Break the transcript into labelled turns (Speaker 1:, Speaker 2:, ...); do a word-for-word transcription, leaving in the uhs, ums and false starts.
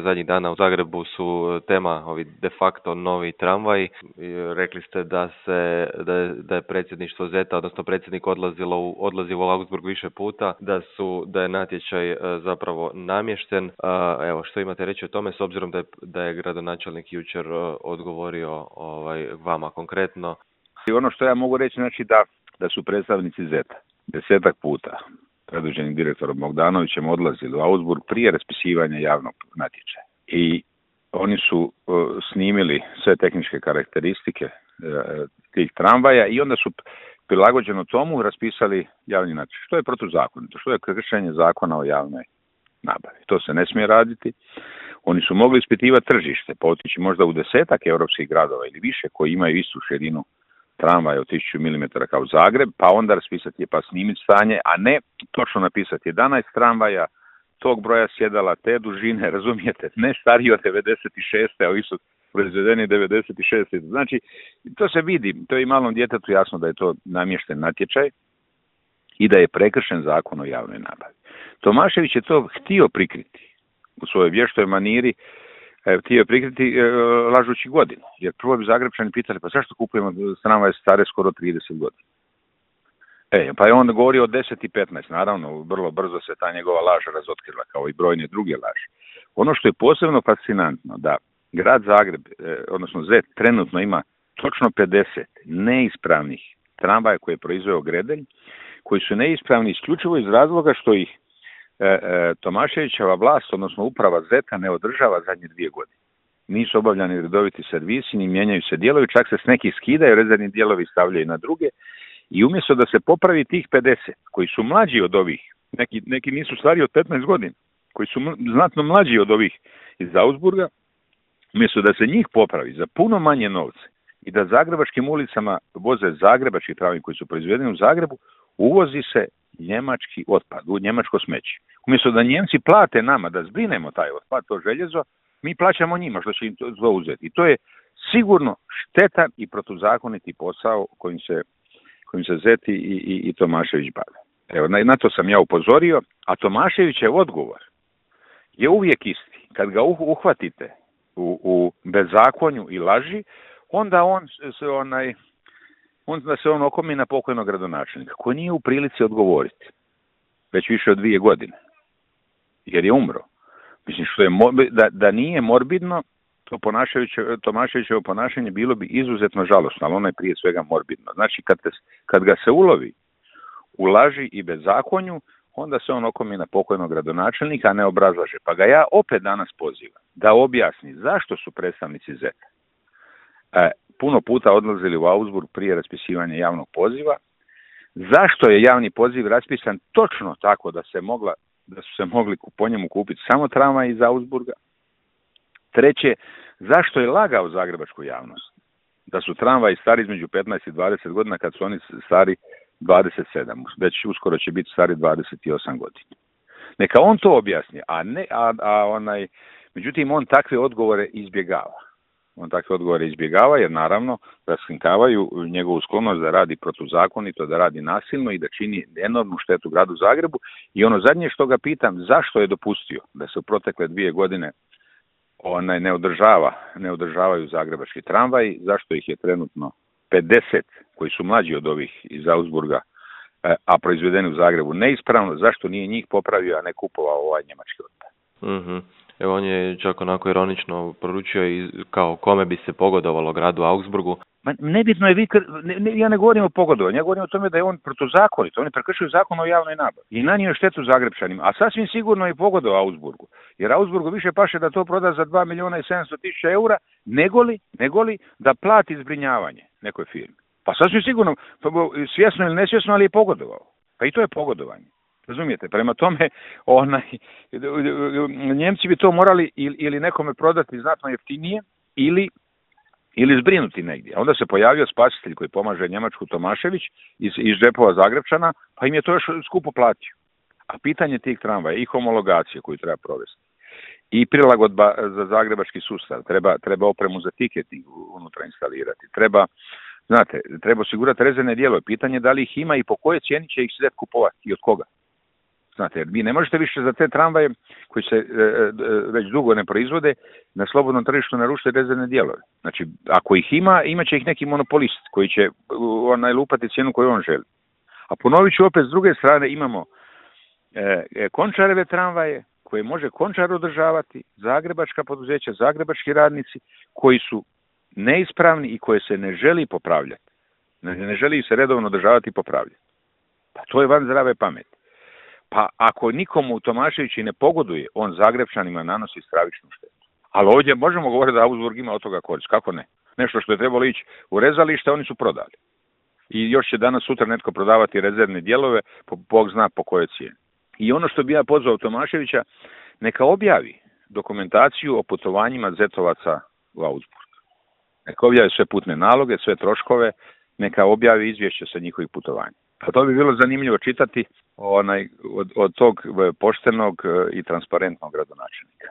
Speaker 1: Zadnjih dana u Zagrebu su tema ovi de facto novi tramvaj. Rekli ste da se da je, da je predsjedništvo Zeta, odnosno predsjednik odlazilo u, odlazilo u Augsburg više puta, da su da je natječaj zapravo namješten. Evo, što imate reći o tome, s obzirom da je, da je gradonačelnik jučer odgovorio ovaj, vama konkretno?
Speaker 2: I ono što ja mogu reći, znači da, da su predstavnici Zeta desetak puta predvođeni direktorom Bogdanovićem odlazili u Augsburg prije raspisivanja javnog natječaja. I oni su uh, snimili sve tehničke karakteristike uh, tih tramvaja i onda su prilagođeno tomu raspisali javni natječaj. Što je protuzakonito, što je kršenje zakona o javnoj nabavi. To se ne smije raditi. Oni su mogli ispitivati tržište, pa otići možda u desetak europskih gradova ili više koji imaju istu širinu tramvaja od tisuću milimetara kao Zagreb, pa onda raspisati pa snimiti stanje, a ne točno napisati jedanaest tramvaja tog broja sjedala, te dužine, razumijete, ne stariji od devedeset šeste, a isto proizvedeni devedeset šeste. Znači, to se vidi, to je i malom djetetu jasno da je to namješten natječaj i da je prekršen zakon o javnoj nabavi. Tomašević je to htio prikriti u svojoj vještoj maniri, htio je prikriti e, lažući godinu. Jer prvo bi Zagrebčani pitali, pa zašto kupujemo tramvaje stare skoro trideset godina? E, pa je on govorio o deset i petnaest, naravno, vrlo brzo se ta njegova laž razotkrila, kao i brojne druge laži. Ono što je posebno fascinantno, da grad Zagreb, e, odnosno Zet, trenutno ima točno pedeset neispravnih tramvaja koje je proizveo Gredelj, koji su neispravni isključivo iz razloga što ih E, e, Tomaševićeva vlast, odnosno uprava Zeta, ne održava zadnje dvije godine. Nisu obavljani redoviti servisi, ni mijenjaju se dijelovi, čak se s nekih skidaju, rezervni dijelovi stavljaju na druge. I umjesto da se popravi tih pedeset, koji su mlađi od ovih, neki, neki nisu stariji od petnaest godina, koji su m- znatno mlađi od ovih iz Augsburga, umjesto da se njih popravi za puno manje novce i da zagrebačkim ulicama voze zagrebački tramvaji koji su proizvedeni u Zagrebu, uvozi se njemački otpad, u njemačko smeće. Umjesto da Njemci plate nama da zbrinemo taj otpad, to željezo, mi plaćamo njima što će im to uzeti. I to je sigurno štetan i protuzakoniti posao kojim se, kojim se Zeti i, i, i Tomašević bave. Evo, na, na to sam ja upozorio, a Tomaševićev odgovor je uvijek isti. Kad ga uhvatite u, u bezakonju i laži, onda on se onaj... onda se on okomi na pokojnog gradonačelnika, koji nije u prilici odgovoriti već više od dvije godine, jer je umro. Mislim, što je da, da nije morbidno, to Tomaševićevo ponašanje bilo bi izuzetno žalosno, ali ono je prije svega morbidno. Znači, kad, te, kad ga se ulovi u laži i bezakonju, onda se on okomi na pokojnog gradonačelnika, a ne obrazlaže. Pa ga ja opet danas pozivam da objasni zašto su predstavnici Zeta e, puno puta odlazili u Augsburg prije raspisivanja javnog poziva, zašto je javni poziv raspisan točno tako da se mogla, da su se mogli po njemu kupiti samo tramvaj iz Augsburga. Treće, zašto je lagao zagrebačku javnost da su tramvaji stari između petnaest i dvadeset godina kad su oni stari dvadeset sedam, već uskoro će biti stari dvadeset osam godina. Neka on to objasni, a ne, a, a onaj, međutim on takve odgovore izbjegava. On takve odgovore izbjegava jer naravno raskrinkavaju njegovu sklonost da radi protuzakonito, da radi nasilno i da čini enormnu štetu gradu Zagrebu. I ono zadnje što ga pitam, zašto je dopustio da se u protekle dvije godine onaj ne održava, ne održavaju zagrebački tramvaji, zašto ih je trenutno pedeset koji su mlađi od ovih iz Augsburga, a proizvedeni u Zagrebu neispravno, zašto nije njih popravio, a ne kupovao ovaj njemački otpad.
Speaker 1: Mhm. Evo, on je čak onako ironično poručio i kao kome bi se pogodovalo gradu Augsburgu.
Speaker 2: Ma nebitno je, vi, ne, ne, ja ne govorim o pogodovanju, ja govorim o tome da je on protuzakonit, on je prekršio zakon o javnoj nabavi i nanio štetu Zagrebčanima, a sasvim sigurno je pogodovao Augsburgu, jer Augsburgu više paše da to proda za dva milijuna i sedamsto tisuća eura, negoli, negoli da plati zbrinjavanje nekoj firmi. Pa sasvim sigurno, svjesno ili nesvjesno, ali je pogodovao. Pa i to je pogodovanje. Razumijete, prema tome onaj, Njemci bi to morali ili, ili nekome prodati znatno jeftinije ili, ili zbrinuti negdje. A onda se pojavio spasitelj koji pomaže Njemačku, Tomašević iz, iz džepova Zagrebčana, pa im je to još skupo platio. A pitanje tih tramvaja i homologacije koju treba provesti i prilagodba za zagrebački sustav, treba, treba opremu za tiketing unutra instalirati, treba, znate, treba osigurati rezervne dijelove. Pitanje da li ih ima i po kojoj cijeni će ih Zet kupovati i od koga. Znate, jer vi ne možete više za te tramvaje koji se e, e, već dugo ne proizvode na slobodnom tržištu naručiti rezervne dijelove. Znači, ako ih ima, imat će ih neki monopolist koji će onaj lupati cijenu koju on želi. A ponovit ću opet, s druge strane imamo e, Končareve tramvaje koje može Končar održavati, zagrebačka poduzeća, zagrebački radnici koji su neispravni i koje se ne želi popravljati. Ne, ne želi se redovno održavati i popravljati. Pa to je van zdrave pameti. Pa ako nikomu u Tomaševići ne pogoduje, on Zagrebčanima nanosi stravičnu štetu. Ali ovdje možemo govoriti da Augsburg ima od toga korist. Kako ne? Nešto što je trebalo ići u rezalište, oni su prodali. I još će danas sutra netko prodavati rezervne dijelove, po, Bog zna po kojoj cijeni. I ono što bi ja pozvao Tomaševića, neka objavi dokumentaciju o putovanjima Zetovaca u Augsburg. Neka objavi sve putne naloge, sve troškove, neka objavi izvješće sa njihovih putovanja. Pa to bi bilo zanimljivo čitati onaj, od, od tog poštenog i transparentnog gradonačelnika.